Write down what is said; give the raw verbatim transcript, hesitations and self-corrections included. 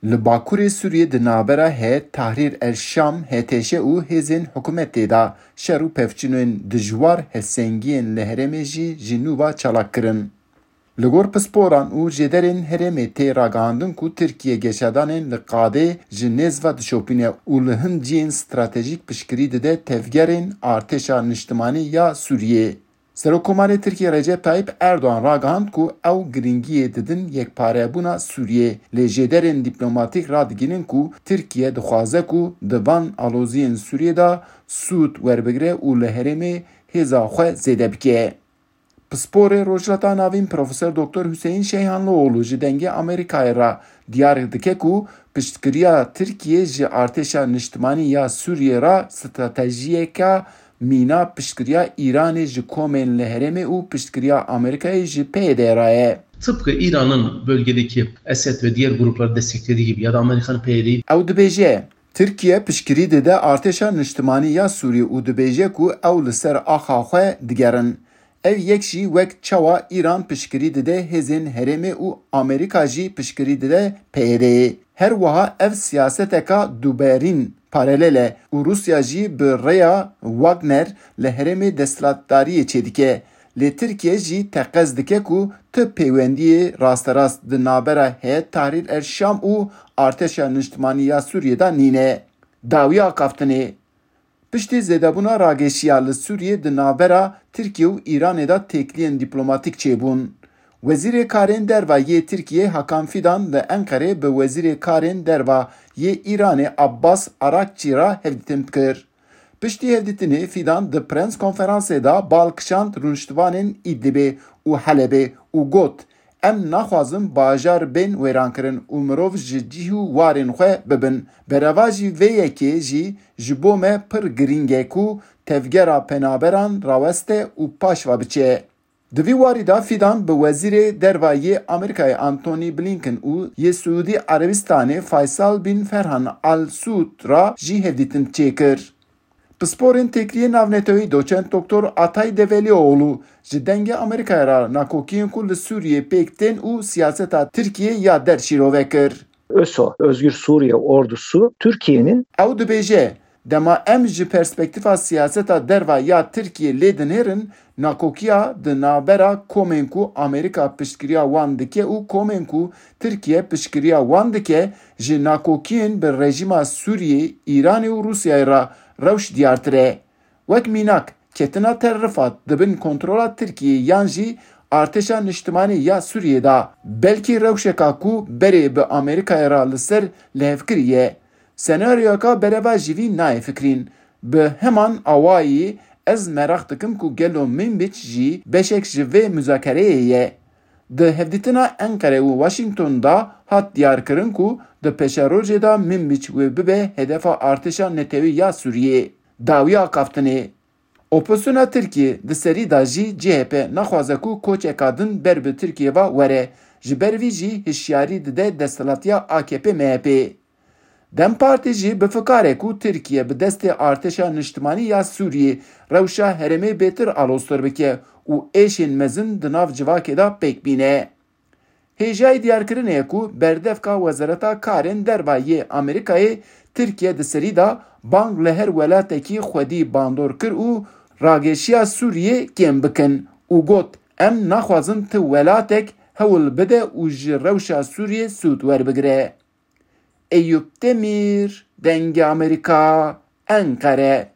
Li Bakurê Sûriyê di navbera Heyet Tahrir el Şam, H T Ş, û hêzên hikûmetê de şer û pevçûnên dijwar hevsengiyên li herêmê jî ji nû ve çalak kirin. Li gor pisporan û jêderên herêmê tê ragihandin ku Tirkiye geşedanên li qadê ji nêz ve dişopîne û li hin cihên stratejîk piştgirî dide tevgerên artêşa niştimanî ya Sûriyê. Serokkomarê Tirkiyê Recep Tayyip Erdogan ragihand ku ew giringiyê didin yekparebûna Sûriyê, lê jêderên dîplomatîk radigihînin ku Tirkiye dixwaze ku di van aloziyên Sûriyê de sûd werbigire û li herêmê hêza xwe zêde bike. Pisporê Rojhilata Navîn Profesor Doktor Hüseyin Şeyhanlıoğlu ji Dengê Amerîkayê re diyar dike ku piştgiriya Tirkiyê ji artêşa niştimanî ya Sûriyê re stratejiyeke mîna piştgiriya Îranê ji komên li herêmê û piştgiriya Amerîkayê ji P Y D re ye. Tıpkı İran'ın bölgedeki Esed ve diğer grupları desteklediği gibi ya da Amerika'nın P Y D'yi Ew dibêje, Tirkiye piştgirî dide artêşa niştimanî ya Sûriyê û dibêje ku ew li ser axa xwe digerin. Ev yek jî wek çawa Îran piştgirî dide hêzên herêmê û Amerîka jî piştgirî dide P Y D'yê. Her wiha ev siyaseteka duberîn, paralel e û Rûsya jî bi rêya Wagner li herêmê desthilatdariyê çêdike. Lê Tirkiye jî teqez dike ku tu pêwendiyê rasterast di navbera Heyet Tahrir el Şam û Artêşa Niştimanî ya Sûriyê de nîne. Dawiya axaftinê. Piştî zêdebûna rageşiya li Sûriyê di navbera Tirkiye û Îranê de têkiliyên dîplomatîk çêbûn. Wezîrê Karên Derva yê Tirkiyê Hakan Fidan li Enqerê bi Wezîrê Karên Derva yê Îranê Abbas Arakçî re hevdîtin kir. Piştî hevdîtinê Fidan di prens konferansê de bal kişand rûniştvanên Îdlibê û Helebê û got, Em naxwazin bajar bên wêrankirin û mirov ji cih û warên xwe bibin. Berevajî vê yekê jî ji bo me pir girîng e ku tevgera penaberan raweste û paş ve biçe. Di vî warî de Fidan bi Wezîrê Derva yê Amerîkayê Antony Blinken û yê Siûdî Erebistanê Faysal bin Ferhan Al Suud re jî hevdîtin çêkir. Pisporên Têkiliyên Navneteweyî Doçent Doktor Atay Develioğlu ji Dengê Amerîkayê re nakokiyên ku li Sûriyê pêk tên û siyaseta Tirkiyê ya der şîrove kir. ÖSO, Özgür Suriye Ordusu, Türkiye'nin Ew dibêje, Dema em ji perspektîfa siyaseta derva ya Tirkiyê lê dinêrin, nakokiya di navbera komên ku Amerîka piştgiriya wan dike û komên ku Tirkiye piştgiriya wan dike, ji nakokiyên bi rejîma Sûriyê, Îranê û Rûsyayê re rewş diyartir e. Wek mînak, ketina Tel Rifat di bin kontrola Tirkiyê yan jî artêşa niştimanî ya Sûriyê de, belkî rewşeka ku berê bi Amerîkayê re li ser lihevkirî ye. Senaryoyeka berevajî vî nayê fikrîn. Bi heman awayî ez meraq dikim ku gelo Minbiç jî beşek ji vê muzakereyê ye. Di hevdîtina Enqere û Washington de hat diyarkirin ku di pêşerojê de Minbiç wê bibe hedefa artêşa netewî ya Sûriyê. Dawiya axaftinê. Opozisyona Tirkiyê di serî de jî C H P naxwaze ku koçeka din ber bi Tirkiyê ve were. Ji ber vî jî hişyarî dide desthilatiya A K P M H P. DEM Partî jî bi fikar e ku Tirkiye bi destê artêşa niştimanî ya Sûriyê rewşa herêmê bêtir aloztir bike û êşên mezin di nav civakê de pêk bîne. Hêjayî diyarkirinê ye ku berdevka Wezareta Karên Derva yê Amerîkayê Tirkiye di serî de bang li her welatekî xwedî bandor kir û rageşiya Sûriyê kêm bikin û got, Em naxwazin ti welatek hewl bide û ji rewşa Sûriyê sûd werbigire. Eyûp Demîr, Dengê Amerîka, Enqere.